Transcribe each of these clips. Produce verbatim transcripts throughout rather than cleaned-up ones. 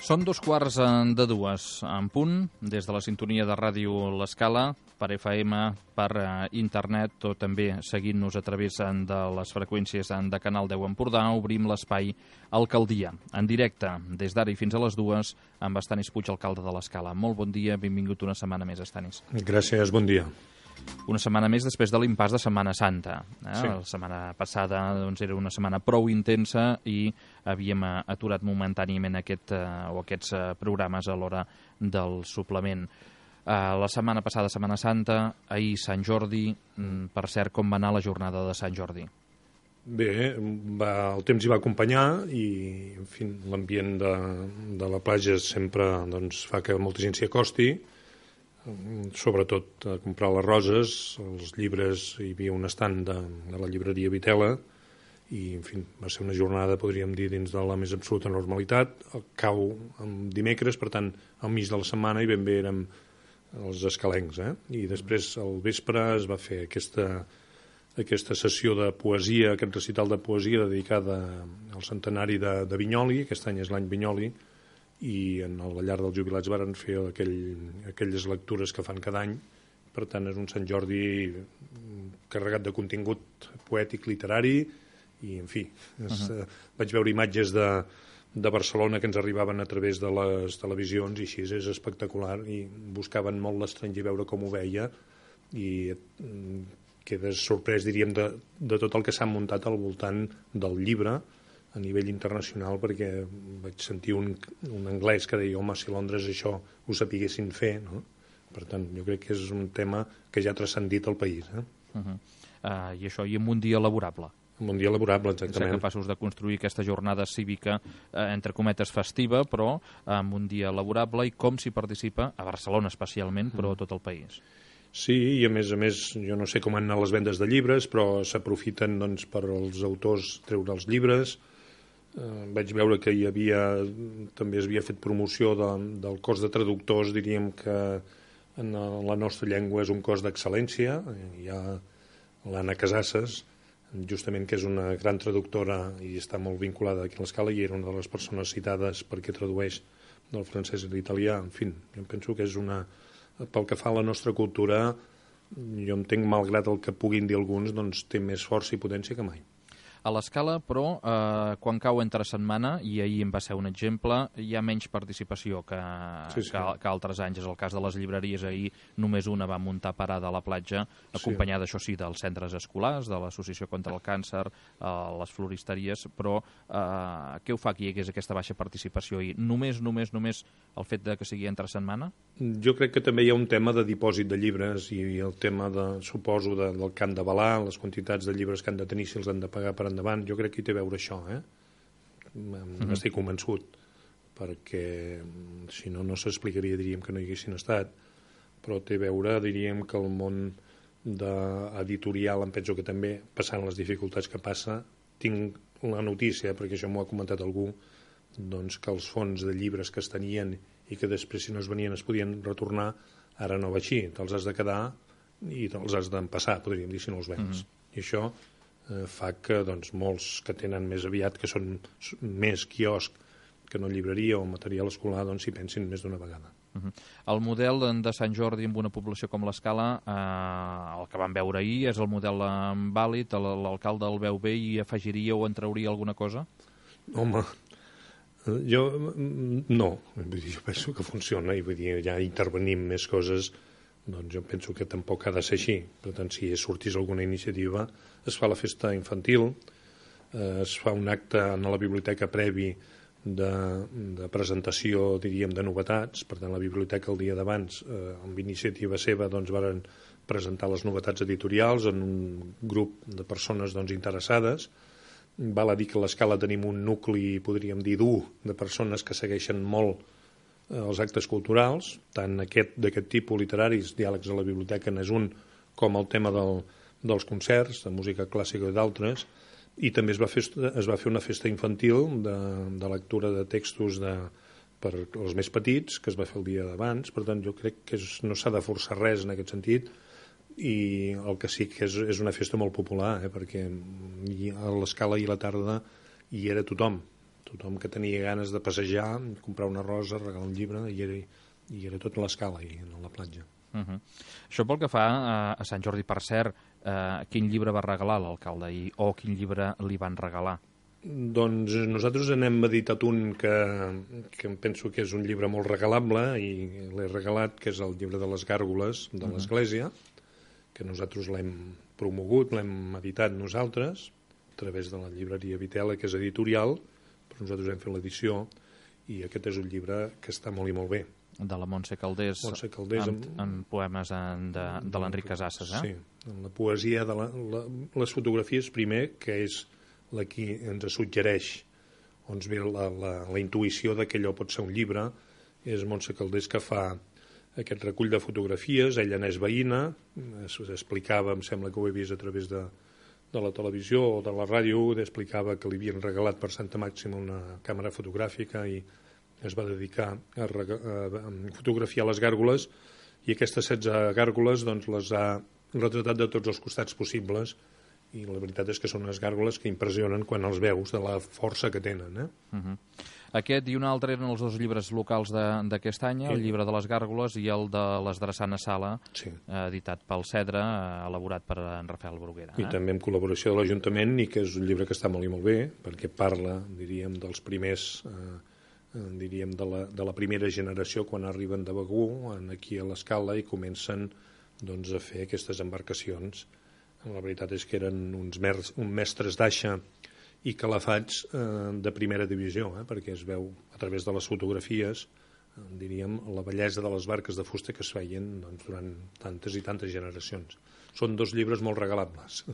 Són dos quarts de dues en punt, des de la sintonia de ràdio L'Escala, per F M, per internet o també seguint-nos a través de les freqüències de Canal deu Empordà, obrim l'espai Alcaldia, en directe, des d'ara i fins a les dues, amb Estanis Puig, alcalde de l'Escala. Molt bon dia, benvingut una setmana més, Estanis. Gràcies, bon dia. Una setmana més després de l'impàs de Setmana Santa. Eh? Sí. La setmana passada doncs, era una setmana prou intensa i havíem aturat momentàniament aquest, eh, o aquests eh, programes a l'hora del suplement. Eh, la setmana passada Setmana Santa, ahir Sant Jordi. Mm, per cert, com va anar la jornada de Sant Jordi? Bé, va, el temps hi va acompanyar i en fi, l'ambient de, de la platja sempre doncs, fa que molta gent s'hi acosti, sobretot a comprar les roses, els llibres. Hi havia un estand de, de la llibreria Vitela i, en fi, va ser una jornada, podríem dir, dins de la més absoluta normalitat. El cau en dimecres, per tant, al mig de la setmana i ben bé érem els escalencs, eh? I després, al vespre, es va fer aquesta, aquesta sessió de poesia, aquest recital de poesia dedicada al centenari de, de Vinyoli. Aquest any és l'any Vinyoli, i en la llar dels jubilats varen fer aquell, aquelles lectures que fan cada any. Per tant, és un Sant Jordi carregat de contingut poètic, literari, i, en fi, és, uh -huh. vaig veure imatges de, de Barcelona que ens arribaven a través de les televisions, i així és espectacular, i buscaven molt l'estranger veure com ho veia, i quedes sorprès, diríem, de, de tot el que s'ha muntat al voltant del llibre a nivell internacional, perquè vaig sentir un, un anglès que deia, home, si Londres això ho sapiguessin fer, no? Per tant, jo crec que és un tema que ja ha transcendit el país. Eh? Uh -huh. uh, I això, i en un dia laborable? En un dia laborable, exactament. Ser capaços de construir aquesta jornada cívica, eh, entre cometes festiva, però en un dia laborable, i com s'hi participa, a Barcelona especialment, però a tot el país. Sí, i a més a més, jo no sé com han anat les vendes de llibres, però s'aprofiten doncs, per als autors treure els llibres. Uh, vaig veure que hi havia, també es havia fet promoció de, del cos de traductors, diríem que en la nostra llengua és un cos d'excel·lència. Hi ha l'Anna Casasses, justament, que és una gran traductora i està molt vinculada aquí a l'Escala, i era una de les persones citades perquè tradueix del francès a l'italià. En fi, jo penso que és una... Pel que fa a la nostra cultura, jo entenc, malgrat el que puguin dir alguns, doncs té més força i potència que mai. A l'Escala, però, eh, quan cau entre setmana, i ahir en va ser un exemple, hi ha menys participació que, sí, sí. que, que altres anys. És el cas de les llibreries. Ahir només una va muntar parada a la platja, acompanyada, sí. això sí, dels centres escolars, de l'Associació contra el Càncer, eh, les floristeries, però eh, què ho fa que hi hagués aquesta baixa participació? I només, només, només el fet de que sigui entre setmana? Jo crec que també hi ha un tema de dipòsit de llibres i el tema, de, suposo, de, del que han d'avalar, les quantitats de llibres que han de tenir, si els han de pagar per endavant. Jo crec que hi té a veure això, eh? N'estic convençut, perquè si no, no s'explicaria, diríem, que no hi haguessin estat, però té a veure, diríem, que el món editorial, em penso que també, passant les dificultats que passa, tinc la notícia, perquè això m'ho ha comentat algú, doncs que els fons de llibres que es tenien i que després, si no es venien, es podien retornar, ara no va així. Te'ls has de quedar i te'ls has d'empassar, podríem dir, si no els vens. Mm-hmm. I això eh, fa que doncs, molts que tenen més aviat, que són més quiosc que no llibreria o material escolar, doncs s'hi pensin més d'una vegada. Uh-huh. El model de Sant Jordi amb una població com l'Escala, eh, el que vam veure ahir, és el model vàlid? L'alcalde el veu bé i afegiria o en trauria alguna cosa? Home, jo no, jo penso que funciona, i vull dir, ja intervenim més coses, doncs jo penso que tampoc ha de ser així. Per tant, si sortís alguna iniciativa, es fa la festa infantil, eh, es fa un acte a la biblioteca previ de, de presentació, diríem, de novetats. Per tant, la biblioteca el dia d'abans, eh, amb iniciativa seva, doncs varen presentar les novetats editorials en un grup de persones doncs, interessades. Val a dir que a l'Escala tenim un nucli, podríem dir, dur, de persones que segueixen molt eh, els actes culturals, tant aquest d'aquest tipus literaris, diàlegs a la biblioteca n'és un, com el tema del, dels concerts, de música clàssica i d'altres, i també es va fer, es va fer una festa infantil de, de lectura de textos de, per als més petits, que es va fer el dia d'abans. Per tant, jo crec que és, no s'ha de forçar res en aquest sentit, i el que sí que és, és una festa molt popular, eh, perquè a l'Escala i a la tarda hi era tothom, Tothom que tenia ganes de passejar, comprar una rosa, regalar un llibre, i era, i era tot a l'escala, i a la platja. Uh -huh. Això pel que fa a, a Sant Jordi, per cert, eh, quin llibre va regalar l'alcalde i, o quin llibre li van regalar? Doncs nosaltres n'hem editat un que, que em penso que és un llibre molt regalable i l'he regalat, que és el llibre de les gàrgoles de l'Església, que nosaltres l'hem promogut, l'hem editat nosaltres, a través de la llibreria Vitela, que és editorial, però nosaltres hem fet l'edició, i aquest és un llibre que està molt i molt bé. De la Montse Calders, Montse Calders amb, amb, amb poemes en, de, de l'Enric Casasses, eh? Sí, en la poesia de la, la, les fotografies, primer, que és la que ens suggereix, on ve la, la, la intuïció de que allò pot ser un llibre, és Montse Calders que fa aquest recull de fotografies. Ella n'és veïna, explicava, em sembla que ho he vist a través de, de la televisió o de la ràdio, explicava que li havien regalat per Santa Màxima una càmera fotogràfica i es va dedicar a, a, a fotografiar les gàrgoles, i aquestes setze gàrgoles doncs, les ha retratat de tots els costats possibles, i la veritat és que són unes gàrgoles que impressionen quan els veus de la força que tenen. Eh? Uh -huh. Aquest i un altre eren els dos llibres locals d'aquest any, el llibre de les gàrgoles i el de les Drassana Sala, sí. eh, editat pel Cedre, eh, elaborat per en Rafael Bruguera. Eh? I també amb col·laboració de l'Ajuntament, i que és un llibre que està molt i molt bé, perquè parla, diríem, dels primers... Eh, diríem, de la, de la primera generació quan arriben de Begur aquí a l'Escala i comencen doncs, a fer aquestes embarcacions. La veritat és que eren uns, mer uns mestres d'aixa i calafats eh, de primera divisió, eh, perquè es veu a través de les fotografies, eh, diríem, la bellesa de les barques de fusta que es feien doncs, durant tantes i tantes generacions. Són dos llibres molt regalables.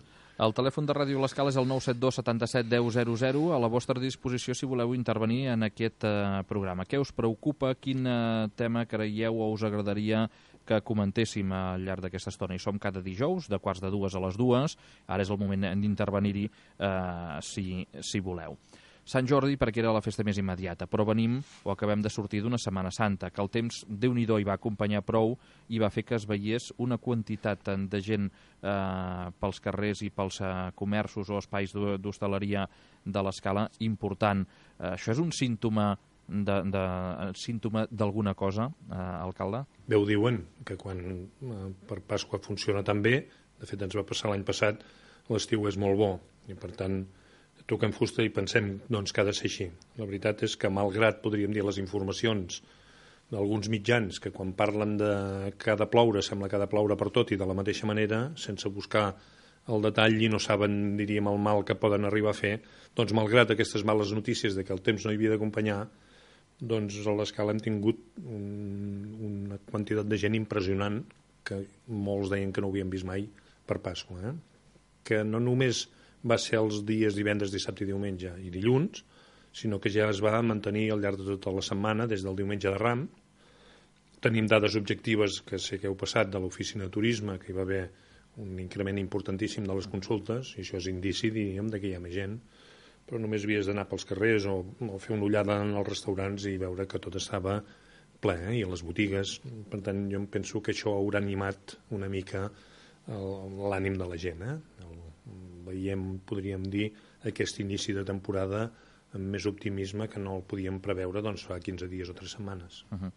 El telèfon de Ràdio L'Escala és el nou set dos setanta-set deu zero zero, a la vostra disposició si voleu intervenir en aquest eh, programa. Què us preocupa? Quin eh, tema creieu o us agradaria que comentéssim al llarg d'aquesta estona? I som cada dijous, de quarts de dues a les dues. Ara és el moment d'intervenir-hi eh, si, si voleu. Sant Jordi perquè era la festa més immediata, però venim o acabem de sortir d'una Setmana Santa, que el temps Déu-n'hi-do hi va acompanyar prou i va fer que es veiés una quantitat de gent eh, pels carrers i pels eh, comerços o espais d'hostaleria de l'Escala important. Eh, això és un símptoma de, de, símptoma d'alguna cosa, eh, alcalde? Bé, ho diuen, que quan eh, per Pasqua funciona tan bé, de fet ens va passar l'any passat, l'estiu és molt bo, i per tant toquem fusta i pensem doncs, que ha de ser així. La veritat és que, malgrat, podríem dir, les informacions d'alguns mitjans que quan parlen de que ha de ploure, sembla que ha de ploure per tot i de la mateixa manera, sense buscar el detall i no saben, diríem, el mal que poden arribar a fer, doncs malgrat aquestes males notícies de que el temps no hi havia d'acompanyar, doncs a l'Escala hem tingut un, una quantitat de gent impressionant que molts deien que no ho havien vist mai per Pasqua, eh? Que no només va ser els dies divendres, dissabte i diumenge i dilluns, sinó que ja es va mantenir al llarg de tota la setmana, des del diumenge de Ram. Tenim dades objectives que sé que heu passat de l'oficina de turisme, que hi va haver un increment importantíssim de les consultes, i això és indici, diríem, que hi ha més gent, però només havies d'anar pels carrers o, o fer una ullada en els restaurants i veure que tot estava ple, eh? I a les botigues. Per tant, jo em penso que això haurà animat una mica l'ànim de la gent, eh? El, veiem, podríem dir, aquest inici de temporada amb més optimisme que no el podíem preveure doncs, fa quinze dies o tres setmanes. Uh -huh.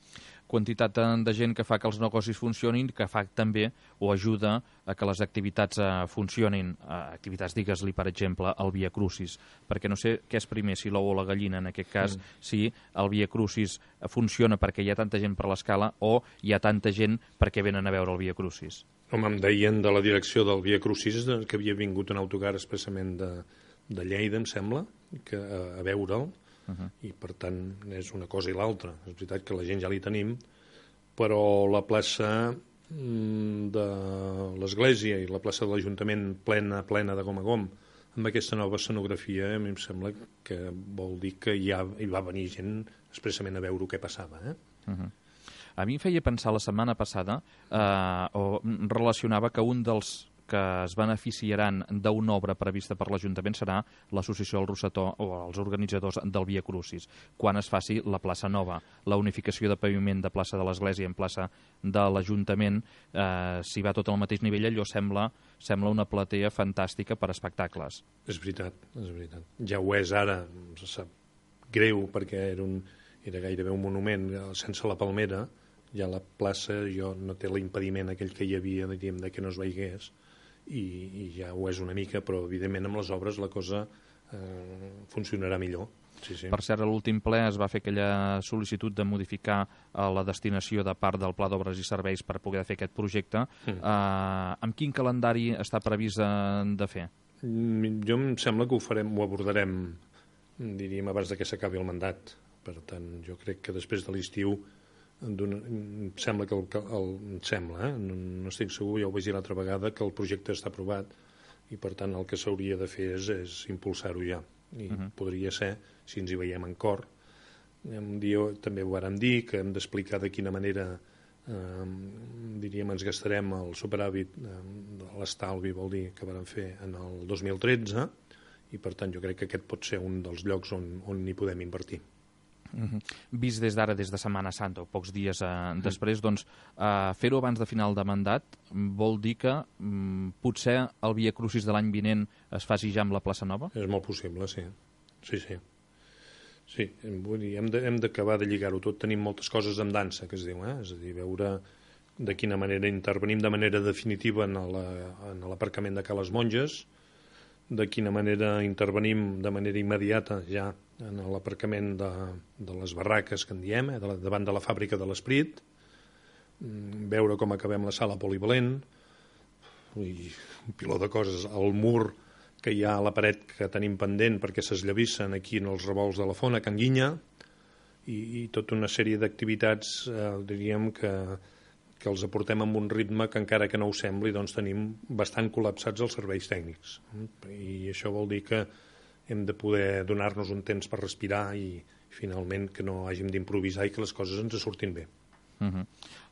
Quantitat de gent que fa que els negocis funcionin, que fa també o ajuda a que les activitats eh, funcionin. Eh, activitats, digues-li, per exemple, el Via Crucis, perquè no sé què és primer, si l'ou o la gallina, en aquest cas, mm. si el Via Crucis funciona perquè hi ha tanta gent per l'Escala o hi ha tanta gent perquè venen a veure el Via Crucis. Home, em deien de la direcció del Via Crucis que havia vingut un autocar expressament de, de Lleida, em sembla, que, a, a veure'l, uh -huh. i per tant és una cosa i l'altra. És veritat que la gent ja li tenim, però la plaça de l'Església i la plaça de l'Ajuntament plena, plena de gom a gom, amb aquesta nova escenografia, a mi em sembla que vol dir que ja hi va venir gent expressament a veure què passava, eh? Uh -huh. A mi em feia pensar la setmana passada, eh, o relacionava que un dels que es beneficiaran d'una obra prevista per l'Ajuntament serà l'Associació del Rossetó o els organitzadors del Via Crucis, quan es faci la plaça nova. La unificació de paviment de plaça de l'Església en plaça de l'Ajuntament, eh, si va tot al mateix nivell, allò sembla, sembla una platea fantàstica per a espectacles. És veritat, és veritat. Ja ho és ara, se sap greu, perquè era, un, era gairebé un monument sense la palmera, ja la plaça jo no té l'impediment aquell que hi havia, diríem, de que no es veiés, i, i ja ho és una mica, però evidentment amb les obres la cosa eh, funcionarà millor. Sí, sí. Per cert, a l'últim ple es va fer aquella sol·licitud de modificar uh, la destinació de part del Pla d'Obres i Serveis per poder fer aquest projecte. Mm. Uh, amb quin calendari està previst uh, de fer? Mm, jo em sembla que ho farem, ho abordarem, diríem, abans de que s'acabi el mandat. Per tant, jo crec que després de l'estiu em sembla que el, el, em sembla, eh? no, no estic segur, ja ho vaig dir l'altra vegada, que el projecte està aprovat i per tant el que s'hauria de fer és, és impulsar-ho ja. I uh-huh. podria ser, si ens hi veiem en cor, un dia també ho vàrem dir, que hem d'explicar de quina manera eh, diríem ens gastarem el superàvit eh, de l'estalvi, vol dir, que vàrem fer en el dos mil tretze, i per tant jo crec que aquest pot ser un dels llocs on, on hi podem invertir. Uh-huh. Vist des d'ara, des de Setmana Santa, o pocs dies eh, després, doncs, eh, fer-ho abans de final de mandat vol dir que mm, potser el Via Crucis de l'any vinent es faci ja amb la plaça Nova? És molt possible, sí. Sí, sí. Sí, vull dir, hem de, hem d'acabar de lligar-ho tot. Tenim moltes coses en dansa, que es diu, eh? És a dir, veure de quina manera intervenim de manera definitiva en l'aparcament de Cales Monges, de quina manera intervenim de manera immediata ja en l'aparcament de, de les barraques que en diem, eh, de la, davant de la fàbrica de l'Esprit, veure com acabem la sala polivalent, i un piló de coses, el mur que hi ha a la paret que tenim pendent perquè s'esllavissen aquí en els revolts de la Fona, Can Guinya, i, i tota una sèrie d'activitats, eh, diríem que, que els aportem amb un ritme que encara que no ho sembli, doncs tenim bastant col·lapsats els serveis tècnics. I això vol dir que hem de poder donar-nos un temps per respirar i finalment que no hàgim d'improvisar i que les coses ens surtin bé. Uh-huh.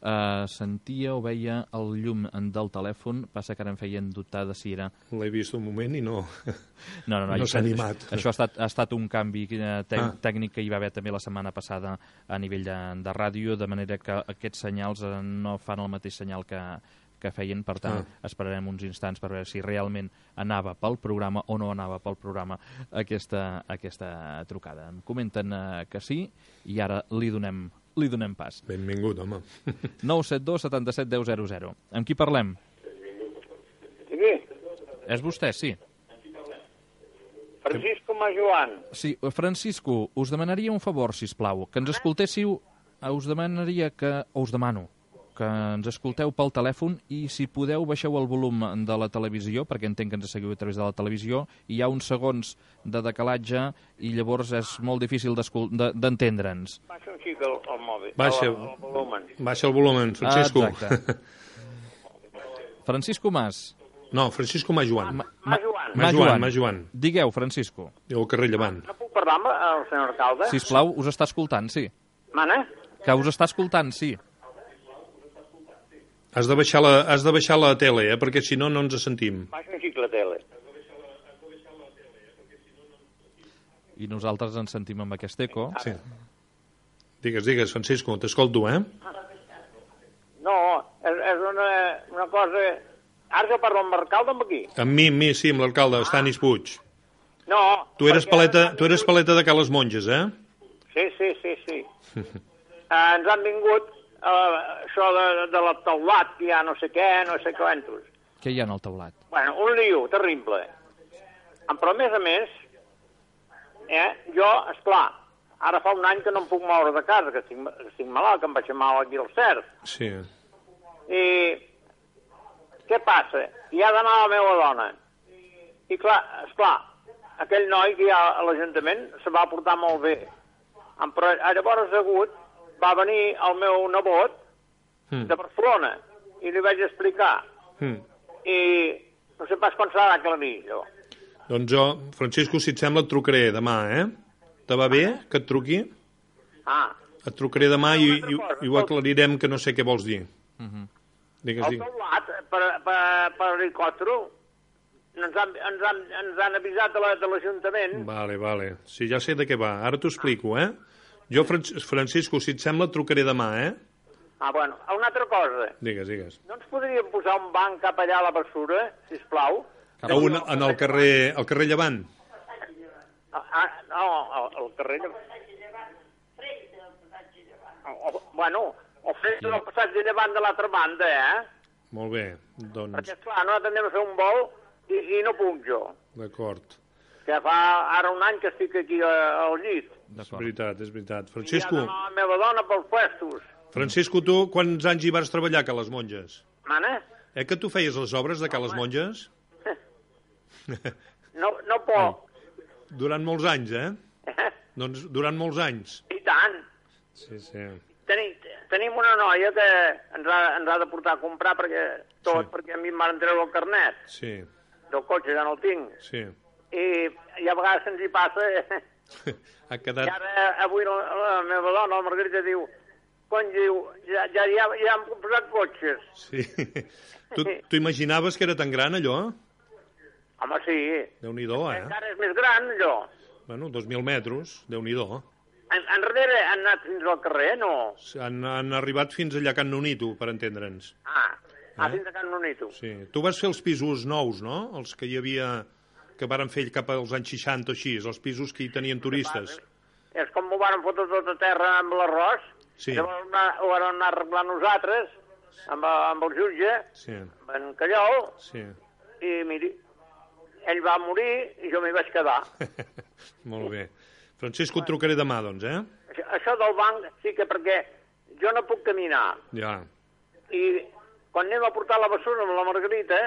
uh, sentia o veia el llum del telèfon, passa que ara em feien dubtar de si era... L'he vist un moment i no, no, no, no, no s'ha animat. Això ha estat, ha estat un canvi tec ah. tècnic que hi va haver també la setmana passada a nivell de, de ràdio, de manera que aquests senyals no fan el mateix senyal que, que feien, per tant ah. esperarem uns instants per veure si realment anava pel programa o no anava pel programa aquesta, aquesta trucada. Em comenten uh, que sí i ara li donem li donem pas. Benvingut, home. nou set dos setanta-set deu zero zero. Amb qui parlem? Sí. És vostè, sí. Francisco Majoan. Sí, Francisco, us demanaria un favor, sisplau, que ens escoltéssiu, us demanaria que, o us demano, que ens escolteu pel telèfon i si podeu baixeu el volum de la televisió, perquè entenc que ens seguiu a través de la televisió, i hi ha uns segons de decalatge i llavors és molt difícil d'entendre'ns. Baixa un xic el, el mòbil, baixa, el, el volumen. Baixa el volumen, Francisco. Exacte. Francisco Mas. No, Francisco Majoan. Ma, ma, Majoan. Majoan, Majoan. Digueu, Francisco. Diu el carrer Llevant. No puc parlar amb el senyor alcalde? Sisplau, us està escoltant, sí. Mana? Que us està escoltant, sí. Has de baixar la, has de baixar la tele, eh? Perquè si no, no ens sentim. Baixa un xic la tele. I nosaltres ens sentim amb aquest eco. Sí. Digues, digues, Francisco, t'escolto, eh? No, és, és una, una cosa... Ara jo parlo amb l'alcalde amb aquí. Amb mi, amb mi, sí, amb l'alcalde, ah. Estanis Puig. No. Tu eres paleta, tu eres paleta de Cales Monges, eh? Sí, sí, sí, sí. uh, ens han vingut uh, això de, de la teulat, ja no sé què, no sé quantos. Què hi ha en el teulat? Bueno, un lío terrible. Però a més a més, eh, jo, esclar, ara fa un any que no em puc moure de casa, que estic, estic malalt, que em vaig mal aquí al cert. Sí. I què passa? Hi ha d'anar la meva dona. I clar, esclar, aquell noi que hi ha a l'Ajuntament se va portar molt bé. Però llavors hagut va venir el meu nebot mm. de Barcelona i li vaig explicar. Mm. I no sé pas quan s'ha d'aclarir, jo. Doncs jo, Francisco, si et sembla, et trucaré demà, eh? Te va bé que et truqui? Ah. Et trucaré demà i, i, i ho aclarirem, que no sé què vols dir. Uh -huh. Digues, el teulat, per, per, per helicòptero, ens han, ens, han, ens han avisat de l'Ajuntament. Vale, vale. Sí, ja sé de què va. Ara t'ho explico, eh? Jo, Francisco, si et sembla, et trucaré demà, eh? Ah, bueno, una altra cosa. Digues, digues. No ens podríem posar un banc cap allà a la bessura, sisplau? A un, en el carrer, el carrer Llevant? Ah, no, al carrer... Bueno, el fresc del passatge llevant de l'altra banda, eh? Molt bé, doncs... Perquè, esclar, nosaltres anem a fer un vol i, i no puc jo. D'acord. Que fa ara un any que estic aquí a, al llit. És veritat, és veritat. I Francisco... ja la meva dona pels puestos. Francisco, tu quants anys hi vas treballar a Ca les Monges? Mana? Eh que tu feies les obres de Ca les Monges? No, no poc. Durant molts anys, eh? Doncs durant molts anys. I tant. Sí, sí. Tenim, tenim una noia que ens ha, ens ha de portar a comprar perquè tot, Sí. perquè a mi em van treure el carnet Sí, del cotxe, ja no el tinc. sí. I, i a vegades se'ns hi passa. Ha I quedat... ara, avui, la, la meva dona, la Margarita, diu, quan diu, ja, ja, ja, ja hem posat cotxes. Sí. Tu, tu imaginaves que era tan gran, allò? Home, sí. Déu-n'hi-do, eh? Encara és més gran, allò. Bueno, dos mil metres, Déu-n'hi-do. En, enrere han anat fins al carrer, no? Han, han arribat fins allà a Can Nonito, per entendre'ns. Ah, ah Eh? fins a Can Nonito. Sí. Tu vas fer els pisos nous, no? Els que hi havia... que varen fer cap als anys seixanta o així, els pisos que hi tenien turistes. És com m'ho van fotre tot a terra amb l'arròs. Sí. Llavors anar- ho vam anar arreglant nosaltres, amb, amb el jutge, Sí, amb en Callol, sí. i miri, ell va morir i jo m'hi vaig quedar. Molt bé. Francisco, et trucaré demà, doncs, eh? Això, això del banc sí que perquè jo no puc caminar. Ja. I quan anem a portar la bessura amb la Margarita,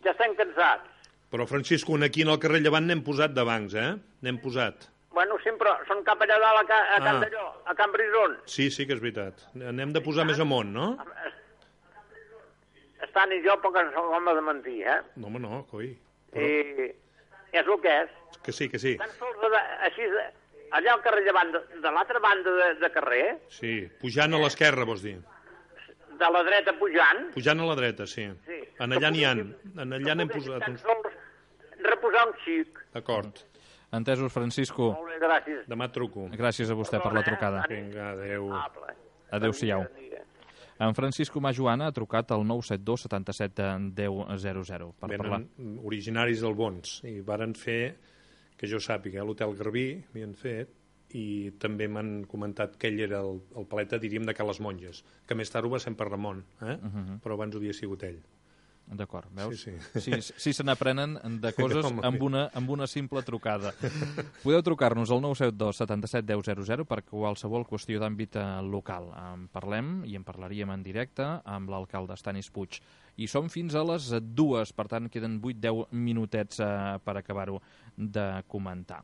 ja estem cansats. Però, Francisco, aquí en el carrer Llevant n'hem posat de bancs, eh? N'hem posat. Bueno, sempre són cap allà dalt a, Ca, a Can Ah. Dalló, a Can Brison. Sí, sí que és veritat. N'hem de posar més amunt, no? Estan i jo poc ens home de mentir, eh? No, home, no, coi. I és el que és. Que sí, que sí. Tan sols de, així, de, allà al carrer llevant, de, de l'altra banda de, de carrer, Sí, pujant a l'esquerra, vols dir. de la dreta pujant, Pujant a la dreta, sí. sí. En allà n'hi ha. Que En allà n'hem poguéssim posat tan uns... sols reposar un xic. D'acord. Entesos, Francisco. Molt bé, gràcies. Demà et truco. Gràcies a vostè per la trucada. Vinga, adeu. Amable. Adéu-siau. Bon dia. En Francisco Majoana ha trucat al nou set dos setanta-set deu zero zero per parlar. Venen originaris del Bons i varen fer, que jo sàpiga, l'Hotel Garbí havien fet, i també m'han comentat que ell era el, el paleta, diríem, de Ca les Monges, que més tard ho va ser en per Ramon, eh? Uh -huh. Però abans ho havia sigut ell. D'acord, veus? Sí, sí. Sí, sí se n'aprenen de coses Home. amb una, amb una simple trucada. Podeu trucar-nos al nou set dos setanta-set deu zero zero per qualsevol qüestió d'àmbit eh, local. En parlem i en parlaríem en directe amb l'alcalde Estanis Puig. I som fins a les dues, per tant queden vuit deu minutets eh, per acabar-ho de comentar.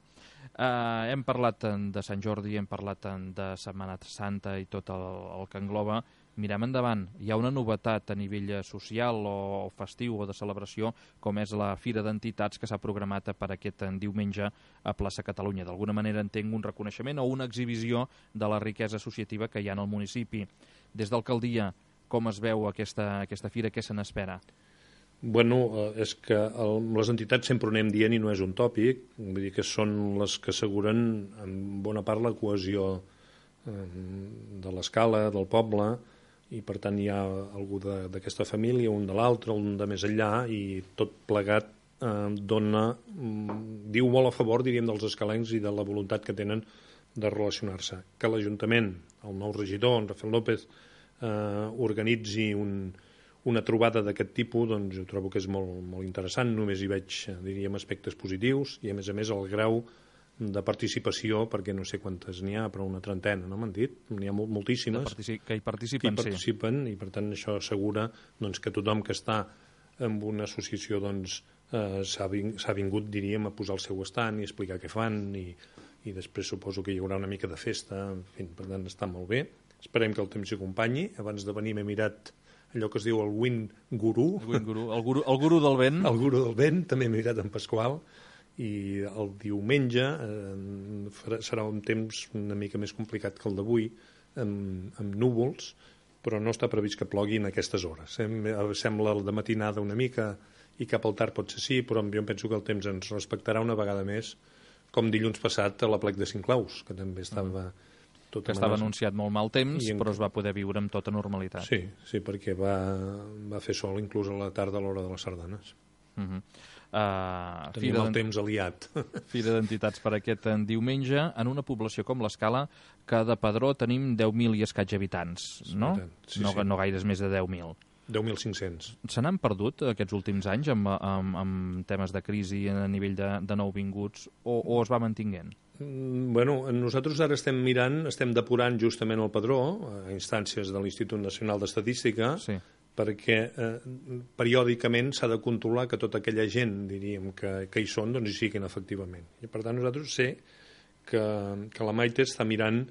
Eh, hem parlat de Sant Jordi, hem parlat de Setmana Santa i tot el, el que engloba. Mirem endavant, hi ha una novetat a nivell social o festiu o de celebració, com és la Fira d'Entitats que s'ha programat per aquest diumenge a Plaça Catalunya. D'alguna manera entenc un reconeixement o una exhibició de la riquesa associativa que hi ha en el municipi. Des d'alcaldia, com es veu aquesta, aquesta fira, què se n'espera? Bueno, és que el, les entitats sempre ho anem dient i no és un tòpic, vull dir que són les que asseguren en bona part la cohesió eh, de l'escala, del poble, i per tant hi ha algú d'aquesta família, un de l'altre, un de més enllà, i tot plegat eh, dona, mm, diu molt a favor, diríem, dels escalencs i de la voluntat que tenen de relacionar-se. Que l'Ajuntament, el nou regidor, en Rafael López, eh, organitzi un, una trobada d'aquest tipus, doncs jo trobo que és molt, molt interessant, només hi veig, diríem, aspectes positius, i a més a més el grau de participació, perquè no sé quantes n'hi ha, però una trentena, no m'han dit? N'hi ha molt, moltíssimes. Que hi participen, que hi participen sí. I per tant això assegura doncs, que tothom que està en una associació doncs, eh, s'ha ving, vingut, diríem, a posar el seu estant i explicar què fan, i, i després suposo que hi haurà una mica de festa, en fi, per tant està molt bé. Esperem que el temps s'hi acompanyi. Abans de venir m'he mirat allò que es diu el Wind Guru. El Wind Guru, el guru, el guru del vent. El Guru del vent, també m'he mirat en Pasqual, i el diumenge eh, serà un temps una mica més complicat que el d'avui, amb, amb núvols, però no està previst que plogui en aquestes hores. Sembla de matinada una mica i cap al tard pot ser sí, però jo penso que el temps ens respectarà una vegada més, com dilluns passat a la Plec de Cinclaus, que també estava... Mm. Que estava anunciat molt mal temps, en... però es va poder viure amb tota normalitat. Sí, sí, perquè va, va fer sol inclús a la tarda a l'hora de les sardanes. Uh-huh. Uh, Tenim el temps aliat. Fira d'Entitats per aquest diumenge, en una població com l'Escala, que de padró tenim deu mil i escaig habitants, no? Sí, no, sí. no gaires més de deu mil. deu mil cinc-cents. Se n'han perdut aquests últims anys amb, amb, amb temes de crisi a nivell de, de nouvinguts o, o es va mantinguent? Mm, bueno, nosaltres ara estem mirant, estem depurant justament el padró a instàncies de l'Institut Nacional d'Estadística, sí, perquè eh, periòdicament s'ha de controlar que tota aquella gent, diríem, que, que hi són, doncs hi siguin efectivament. I per tant nosaltres sé que, que la Maite està mirant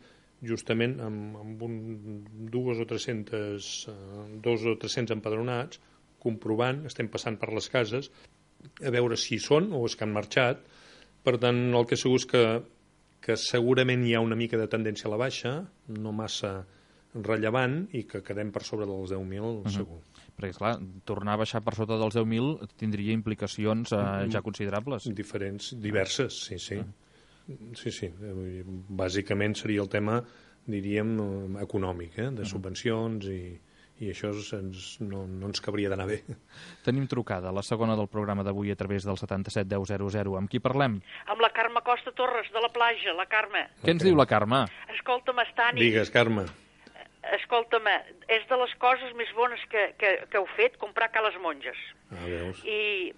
justament amb, amb un, dues o tres-centes, eh, dos o tres-cents empadronats, comprovant, estem passant per les cases, a veure si hi són o és que han marxat. Per tant, el que segur és que, que segurament hi ha una mica de tendència a la baixa, no massa rellevant, i que quedem per sobre dels deu mil, uh-huh, segur. Perquè, esclar, tornar a baixar per sota dels deu mil tindria implicacions eh, ja considerables. Diferents, diverses, sí, sí. Uh-huh. Sí, sí. Bàsicament seria el tema, diríem, econòmic, eh? de subvencions, i, i això ens, no, no ens cabria d'anar bé. Tenim trucada, la segona del programa d'avui a través del setanta-set deu zero zero. Amb qui parlem? Amb la Carme Costa Torres, de la platja, la Carme. Què ens diu la Carme? Escolta'm, Estani. Digues, Carme. Escolta'm, és de les coses més bones que, que, que heu fet, comprar ca les monges. Ah, veus. I,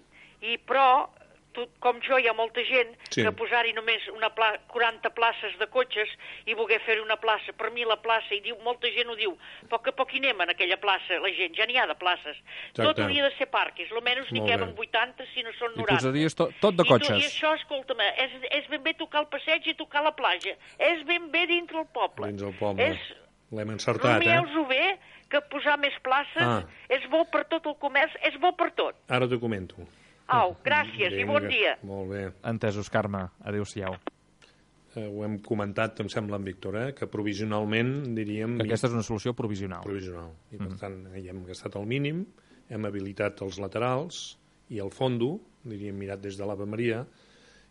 i però, tu, com jo, hi ha molta gent sí, que posar-hi només una pla quaranta places de cotxes i voler fer una plaça. Per mi la plaça, i diu, molta gent ho diu, poc a poc hi anem en aquella plaça, la gent, ja n'hi ha de places. Exacte. Tot hauria de ser parquis, almenys n'hi queben vuitanta, si no són noranta. I posaries to, tot de cotxes. I, tu, i això, escolta'm, és, és ben bé tocar el passeig i tocar la platja. És ben bé dintre el poble. Dins el poble. És... L'hem encertat, eh? Rumieu-vos-ho bé, que posar més places ah. és bo per tot el comerç, és bo per tot. Ara t'ho comento. Au, gràcies Vinga, i bon dia. Molt bé. Entesos, Carme. Adéu-siau. Eh, ho hem comentat, em sembla, en Víctor, eh? que provisionalment, diríem... Que aquesta és una solució provisional. Provisional. I, per mm. tant, hi hem gastat el mínim, hem habilitat els laterals i el fondo, diríem, mirat des de l'Ave Maria,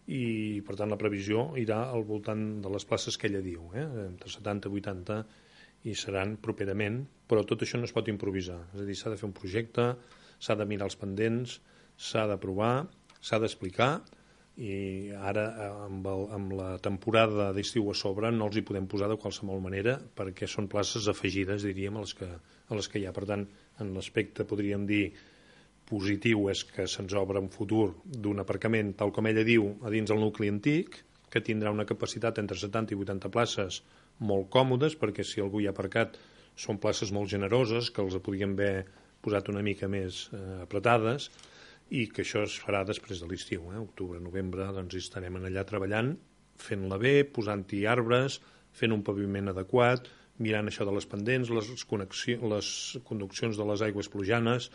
i, per tant, la previsió irà al voltant de les places que ella diu, eh? entre setanta i vuitanta, i seran properament, però tot això no es pot improvisar. És a dir, s'ha de fer un projecte, s'ha de mirar els pendents, s'ha d'aprovar, s'ha d'explicar, i ara, amb, el, amb la temporada d'estiu a sobre, no els hi podem posar de qualsevol manera, perquè són places afegides, diríem, a les que, a les que hi ha. Per tant, en l'aspecte, podríem dir, positiu, és que se'ns obre un futur d'un aparcament, tal com ella diu, a dins del nucli antic, que tindrà una capacitat entre setanta i vuitanta places molt còmodes, perquè si algú hi ha aparcat són places molt generoses, que els podríem haver posat una mica més eh, apretades, i que això es farà després de l'estiu, eh? Octubre, novembre, doncs hi estarem allà treballant, fent-la bé, posant-hi arbres, fent un paviment adequat, mirant això de les pendents, les, les conduccions de les aigües plujanes,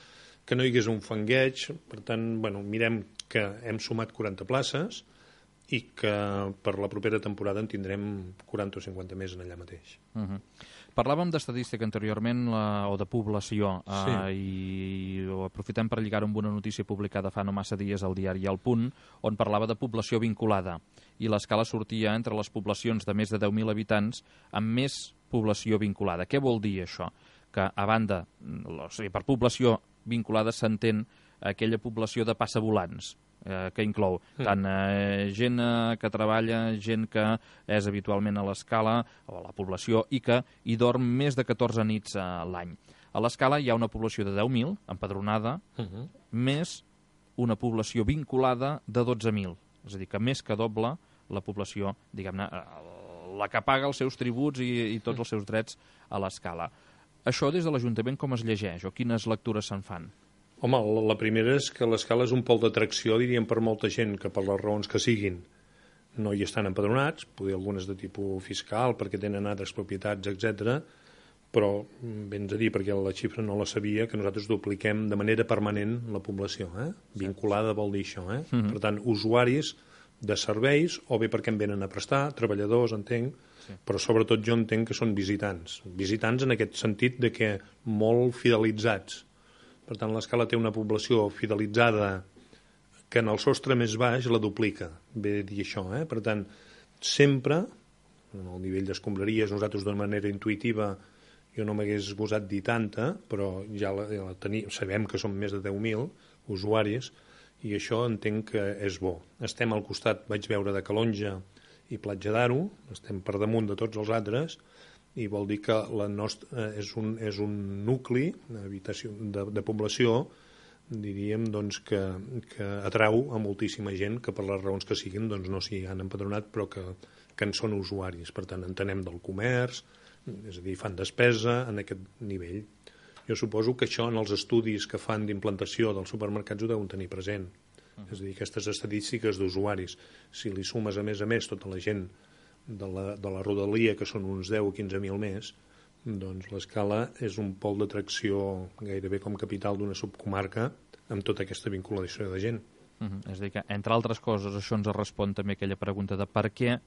que no hi hagués un fangueig. Per tant, bueno, mirem que hem sumat quaranta places, i que per la propera temporada en tindrem quaranta o cinquanta més en allà mateix. Uh-huh. Parlàvem d'estadística anteriorment, la, o de població, sí. eh, i ho aprofitem per lligar-ho amb una notícia publicada fa no massa dies al diari El Punt, on parlava de població vinculada, i l'escala sortia entre les poblacions de més de deu mil habitants amb més població vinculada. Què vol dir això? Que, a banda, o sigui, per població vinculada s'entén aquella població de passavolants, eh, que inclou tant eh, gent eh, que treballa, gent que és habitualment a l'escala, o a la població, i que hi dorm més de catorze nits a l'any. A l'escala hi ha una població de deu mil, empadronada, uh-huh. més una població vinculada de dotze mil. És a dir, que més que doble la població, diguem-ne, la que paga els seus tributs i, i tots els seus drets a l'escala. Això des de l'Ajuntament com es llegeix, o quines lectures se'n fan? Home, la primera és que l'escala és un pol d'atracció, diríem, per molta gent que per les raons que siguin no hi estan empadronats, poder algunes de tipus fiscal, perquè tenen altres propietats, etcètera, però vens a dir, perquè la xifra no la sabia, que nosaltres dupliquem de manera permanent la població. Eh? Vinculada vol dir això. Eh? Mm-hmm. Per tant, usuaris de serveis, o bé perquè em venen a prestar, treballadors, entenc, sí. Però sobretot jo entenc que són visitants. Visitants en aquest sentit de que molt fidelitzats. Per tant, l'escala té una població fidelitzada que en el sostre més baix la duplica, ve a dir això. Eh? Per tant, sempre, en el nivell d'escombraries, nosaltres d'una manera intuïtiva, jo no m'hagués gosat dir tanta, però ja la, ja la teni, sabem que són més de deu mil usuaris, i això entenc que és bo. Estem al costat, vaig veure, de Calonja i Platja d'Aro, estem per damunt de tots els altres, i vol dir que la nostra és un, és un nucli habitació, de, de població, diríem, doncs, que, que atrau a moltíssima gent que per les raons que siguin doncs, no s'hi han empadronat, però que, que en són usuaris. Per tant, entenem del comerç, és a dir, fan despesa en aquest nivell. Jo suposo que això en els estudis que fan d'implantació dels supermercats ho deuen tenir present. Uh-huh. És a dir, aquestes estadístiques d'usuaris, si li sumes a més a més tota la gent de la, de la rodalia, que són uns deu o quinze mil més, doncs l'Escala és un pol d'atracció gairebé com capital d'una subcomarca amb tota aquesta vinculació de gent. Uh-huh. És a dir que, entre altres coses, això ens respon també aquella pregunta de per què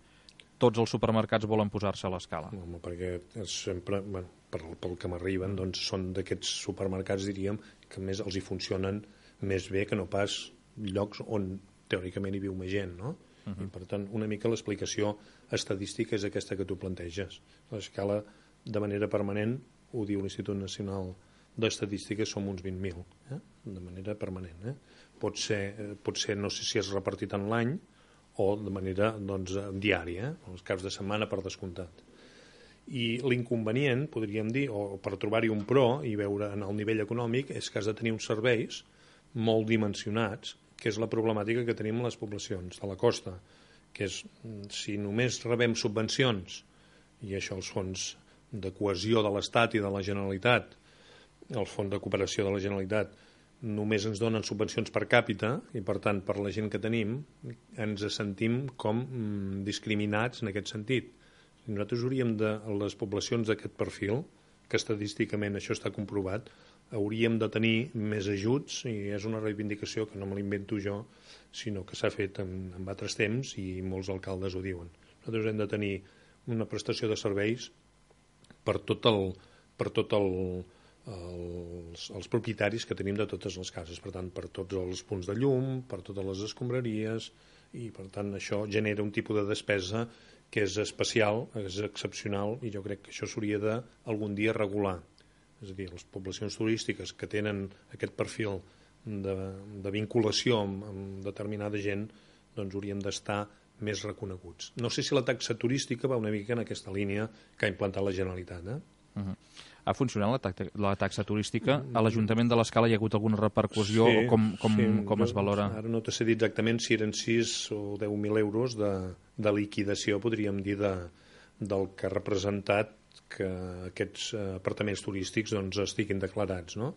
tots els supermercats volen posar-se a l'Escala. Home, perquè sempre, bueno, pel, pel que m'arriben, doncs són d'aquests supermercats, diríem, que més els hi funcionen més bé que no pas llocs on teòricament hi viu més gent, no? Uh-huh. I per tant, una mica l'explicació estadística és aquesta que tu planteges. L'Escala, de manera permanent, ho diu l'Institut Nacional d'Estadística, som uns vint mil, eh? De manera permanent. Eh? Pot ser, pot ser, no sé si és repartit en l'any, o de manera doncs, diària, eh? Els caps de setmana per descomptat. I l'inconvenient, podríem dir, o per trobar-hi un pro i veure en el nivell econòmic, és que has de tenir uns serveis molt dimensionats, que és la problemàtica que tenim en les poblacions de la costa, que és, si només rebem subvencions, i això els fons de cohesió de l'Estat i de la Generalitat, el fons de cooperació de la Generalitat, només ens donen subvencions per càpita i, per tant, per la gent que tenim, ens sentim com mm, discriminats en aquest sentit. Nosaltres hauríem de, les poblacions d'aquest perfil, que estadísticament això està comprovat, hauríem de tenir més ajuts, i és una reivindicació que no me l'invento jo, sinó que s'ha fet en, en altres temps i molts alcaldes ho diuen. Nosaltres hem de tenir una prestació de serveis per tot el... Per tot el Els, els propietaris que tenim de totes les cases, per tant, per tots els punts de llum, per totes les escombraries, i per tant això genera un tipus de despesa que és especial, és excepcional, i jo crec que això s'hauria de algun dia regular. És a dir, les poblacions turístiques que tenen aquest perfil de, de vinculació amb, amb determinada gent, doncs haurien d'estar més reconeguts. No sé si la taxa turística va una mica en aquesta línia que ha implantat la Generalitat, eh? Uh-huh. Ha funcionat la, taxa, la taxa turística? A l'Ajuntament de l'Escala hi ha hagut alguna repercussió sí, o com, com, sí, com es valora? Ara no t'he dit exactament si eren sis o deu mil euros de, de liquidació, podríem dir, de, del que ha representat que aquests apartaments turístics doncs, estiguin declarats, no?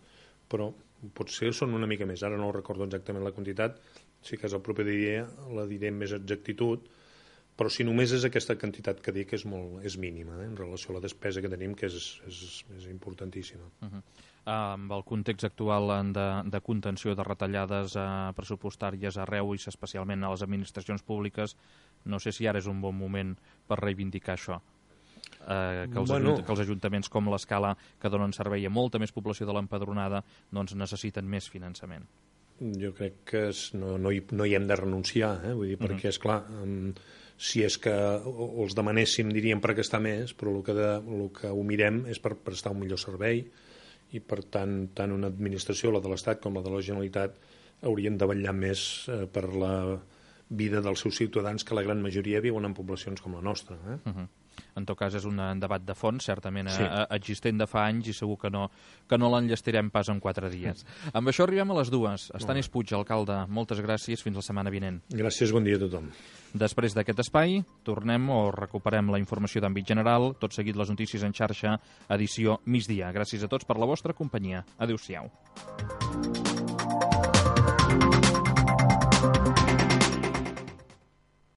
Però potser són una mica més. Ara no recordo exactament la quantitat, si cas el proper dia la diré amb més exactitud, però si només és aquesta quantitat que dic és, molt, és mínima, eh, en relació a la despesa que tenim, que és, és, és importantíssima. Uh-huh. Uh, amb el context actual de, de contenció de retallades uh, pressupostàries arreu i especialment a les administracions públiques, no sé si ara és un bon moment per reivindicar això. Uh, que, els bueno. ajunt, que els ajuntaments com l'Escala, que donen servei a molta més població de l'empadronada, doncs necessiten més finançament. Jo crec que és, no, no, hi, no hi hem de renunciar, eh? Vull dir, uh-huh. perquè, esclar, um, si és que els demanéssim, diríem, per gastar més, però el que, de, el que ho mirem és per prestar un millor servei, i per tant, tant una administració, la de l'Estat com la de la Generalitat, haurien de vetllar més eh, per la vida dels seus ciutadans, que la gran majoria viuen en poblacions com la nostra. Eh? Uh-huh. En tot cas, és un debat de fons, certament sí. eh, existent de fa anys, i segur que no, que no l'enllestirem pas en quatre dies. Mm. Amb això arribem a les dues. Estanis Puig, alcalde, moltes gràcies, fins la setmana vinent. Gràcies, bon dia a tothom. Després d'aquest espai, tornem o recuperem la informació d'àmbit general, tot seguit les notícies en xarxa, edició migdia. Gràcies a tots per la vostra companyia. Adéu-siau.